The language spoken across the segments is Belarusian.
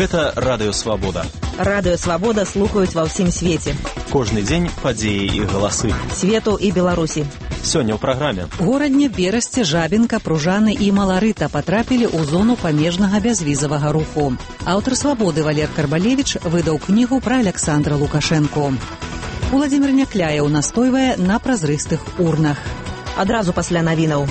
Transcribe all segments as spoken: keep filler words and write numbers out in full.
Гэта Радыё Свабода. Радыё Свабода слухаюць ва ўсім свеце. Кожны дзень падзеі і галасы. Свету і Беларусі. Сёння ў праграме. Горадне, Берасце, Жабінка, Пружаны і Маларыта патрапілі ў зону памежнага бязвізавага руху. Аўтар Свабоды Валер Карбалевіч выдаў кнігу пра Аляксандра Лукашэнку. Уладзімір Някляеў настойвае на празрыстых урнах. Адразу пасля навінаў.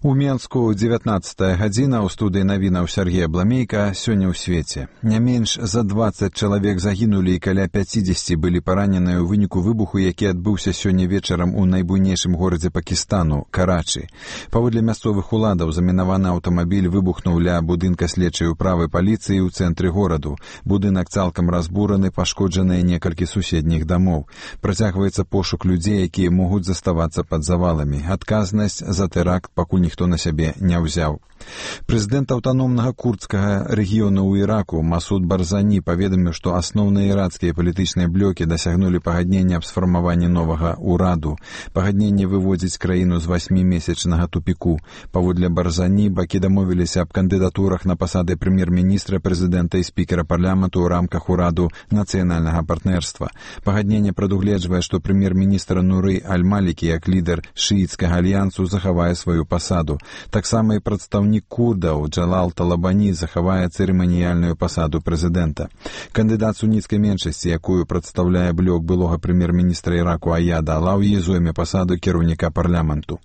У Менску дзевятнаццатая гадзіна, ў студыі навінаў Сергея Бламейка. Сёння ў свеце. Не менш за дваццаць чалавек загінулі і каля пяцідзесяці былі параненыя ў выніку выбуху, які адбыўся сёння вечарам у найбуйнейшым горадзе Пакістану – Карачы. Паводле мясцовых уладаў, замінаваны аўтамабіль выбухнуў ля будынка следчай управы паліцыі ў цэнтры гораду. Будынак цалкам разбураны, пашкоджаныя некалькі суседніх дамоў. Працягваецца пошук людзей, якія могуць заставацца пад заваламі. Адказнасць за тэракт пакуль ніхто на сябе не ўзяў. Прэзідэнт аўтаномнага курдскага рэгіёну ў Іраку Масуд Барзані паведаміў, што асноўныя іракскія палітычныя блокі дасягнулі пагаднення аб сфармаванні новага ўраду. Пагадненне выводзіць краіну з васьмімесячнага тупіку. Паводле Барзані, бакі дамовіліся аб кандыдатурах на пасады прэм'ер-міністра, прэзідэнта і спікера парламенту ў рамках ураду нацыянальнага партнерства. Пагадненне прадугледжвае, што прэм'ер-міністр Нуры Аль-Малікі як лідар шыіцкага альянсу захавае сваю пасаду. Таксама і прадстаўнік курдаў Джалал Талабані захавае цырыманіяльную пасаду прэзідэнта. Кандыдат суніцкай меншасці, якую прадстаўляе блок былога прэм'ер-міністра Іраку Аяда Алаўі, зойме пасаду кіраўніка парламенту.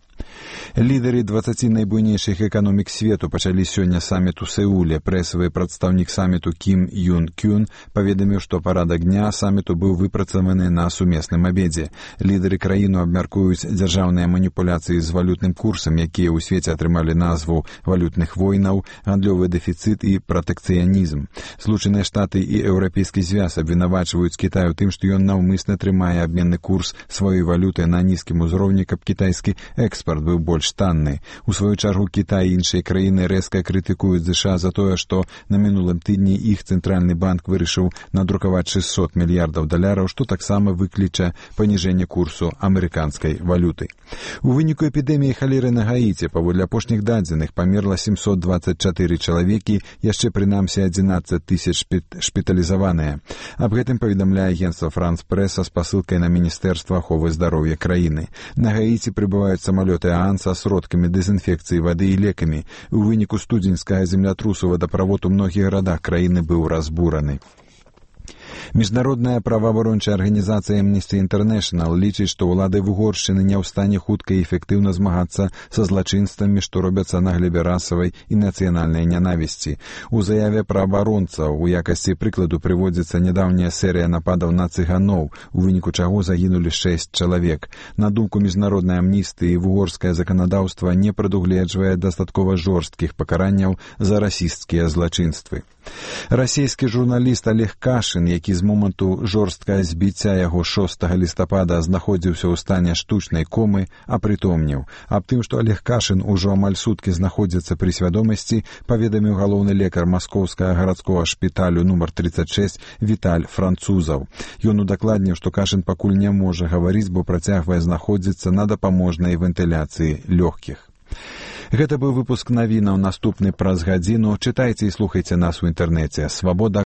Лідары дваццаці найбуйнейшых эканомік свету пачалі сёння саміт у Сеуле. Прэсавы прадстаўнік саміту Кім Юн Кюн паведаміў, што парадак дня саміту быў выпрацаваны на сумесным абедзе. Лідары краіну абмяркуюць дзяржаўныя маніпуляцыі з валютным курсам, якія ў свеце атрымалі назву валютных войнаў, гандлёвы дэфіцыт і пратэкцыянізм. Злучаныя Штаты і Еўрапейскі звяз абвінавачваюць Кітай у тым, што ён наўмысна трымае абменны курс сваёй валюты на нізкім узроўні, каб кітайскі экспарт быў больш танны. У сваю чаргу Кітай і іншыя краіны рэзка крытыкуюць ЗША за тое, што на мінулым тыдні іх цэнтральны банк вырашыў надрукаваць шэсцьсот мільярдаў даляраў, што таксама выкліча паніжэнне курсу амерыканскай валюты. У выніку эпідэміі халеры на Гаіці, паводле апошніх дадзеных, памерла сямсот дваццаць чатыры чалавекі, яшчэ прынамсі адзінаццаць тысяч шпіталізаваныя. Аб гэтым паведамляе агенцтва Франс Прэс са спасылкай на Міністэрства аховы здароўя краіны. На Гаіці прыбываюць самалёты ААН са сродкамі дэзінфекцыі вады і лекамі. У выніку студзеньскага землятрусу вадаправод у многіх гарадах краіны быў разбураны. Міжнародная праваабарончая арганізацыя Amnesty International лічыць, што ўлады Угоршчыны не ў стане хутка і эфектыўна змагацца са злачынствамі, што робяцца на глебе расавай і нацыянальнай нянавісці. У заяве праваабаронцаў у якасці прыкладу прыводзіцца нядаўняя серыя нападаў на цыганоў, у выніку чаго загінулі шэсць чалавек. На думку міжнароднай амністыі, вугорскае заканадаўства не прадугледжвае дастаткова жорсткіх пакаранняў за расісцкія злачынствы. Расійскі журналіст Олег Кашын, які з моманту жорсткага збіцця яго шостага лістапада знаходзіўся ў стане штучнай комы, апрытомніў. Аб тым, што Олег Кашын ужо амаль суткі знаходзіцца пры свядомасці, паведаміў галоўны лекар маскоўскага гарадскога шпіталю нумар тридцать шесть Віталь Французаў. Ён удакладніў, што Кашын пакуль не можа гаварыць, бо працягвае знаходзіцца на дапаможнай вентыляцыі лёгкіх. Гэта быў выпуск навінаў, наступны праз гадзіну. Чытайце і слухайце нас у інтэрнэце свабода